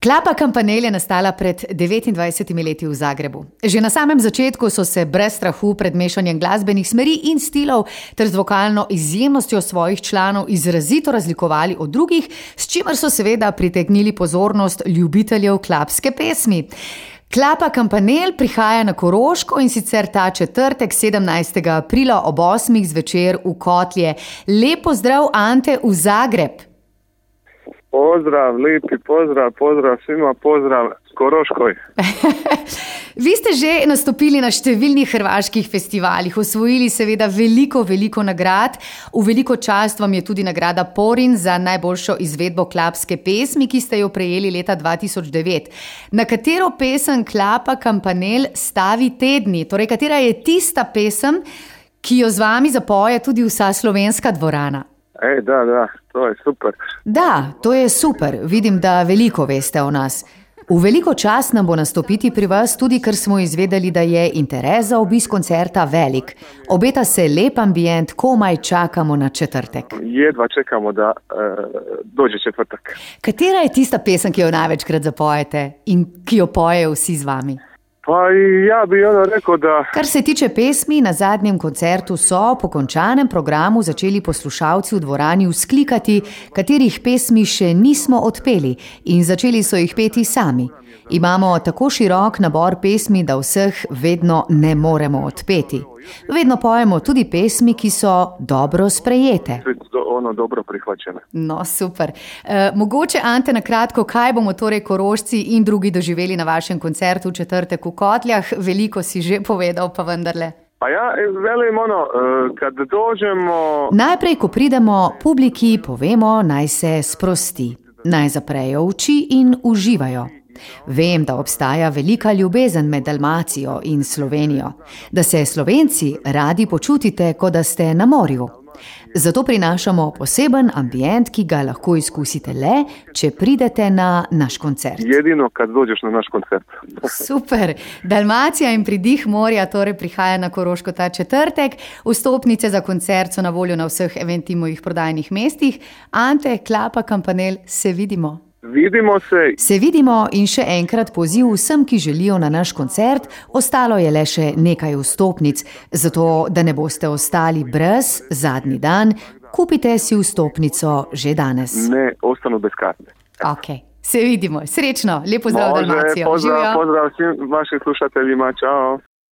Klapa Campanelle je nastala pred 29 leti v Zagrebu. Že na samem začetku so se brez strahu pred mešanjem glasbenih smeri in stilov ter z vokalno izjemnostjo svojih članov izrazito razlikovali od drugih, s čimer so seveda pritegnili pozornost ljubiteljev klapske pesmi. Klapa Campanelle prihaja na Koroško in sicer ta četrtek 17. aprila ob 8. zvečer v Kotlje. Lep pozdrav, Ante, v Zagreb. Pozdrav, lepi pozdrav svima, pozdrav Koroškoj. Vi ste že nastopili na številnih hrvaških festivalih, osvojili seveda veliko nagrad. V veliko čast vam je tudi nagrada Porin za najboljšo izvedbo klapske pesmi, ki ste jo prejeli leta 2009. Na katero pesem Klapa Campanelle stavi tedni? Torej, katera je tista pesem, ki jo z vami zapoje tudi vsa slovenska dvorana? Da, to je super. Da, to je super. Vidim, da veliko veste o nas. V veliko čast nam bo nastopiti pri vas, tudi ker smo izvedeli, da je interes za obisk koncerta velik. Obeta se lep ambient, komaj čakamo na četrtek. Jedva čekamo, da dođe četvrtek. Katera je tista pesem, ki jo največkrat zapojete in ki jo pojejo vsi z vami? Pa ja bi rekel, da... Kar se tiče pesmi, na zadnjem koncertu so po končanem programu začeli poslušalci v dvorani vzklikati, katerih pesmi še nismo odpeli, in začeli so jih peti sami. Imamo tako širok nabor pesmi, da vseh vedno ne moremo odpeti. Vedno pojemo tudi pesmi, ki so dobro sprejete. Dobro prihvaćene. No, super. Mogoče, Ante, na kratko, kaj bomo torej Korošci in drugi doživeli na vašem koncertu v četrtek v Kotljah? Veliko si že povedal, pa vendarle. Pa ja, velim kad dođemo... Najprej, ko pridemo, publiki povemo, naj se sprosti, naj zaprejo oči in uživajo. Vem, da obstaja velika ljubezen med Dalmacijo in Slovenijo, da se Slovenci radi počutite, kot da ste na morju. Zato prinašamo poseben ambient, ki ga lahko izkusite le, če pridete na naš koncert. Jedino, kad dođeš na naš koncert. Super. Dalmacija in pridih morja torej prihaja na Koroško ta četrtek. Vstopnice za koncert so na voljo na vseh Eventimovih prodajnih mestih. Ante, Klapa Campanelle, se vidimo. Vidimo se. Se vidimo in še enkrat poziv vsem, ki želijo na naš koncert. Ostalo je le še nekaj vstopnic, zato da ne boste ostali brez zadnji dan. Kupite si vstopnico že danes. Ne ostanu bez karte. Ok, se vidimo. Srečno, lep pozdrav Dalmacijo. Pozdrav svim vašim slušateljima. Čao.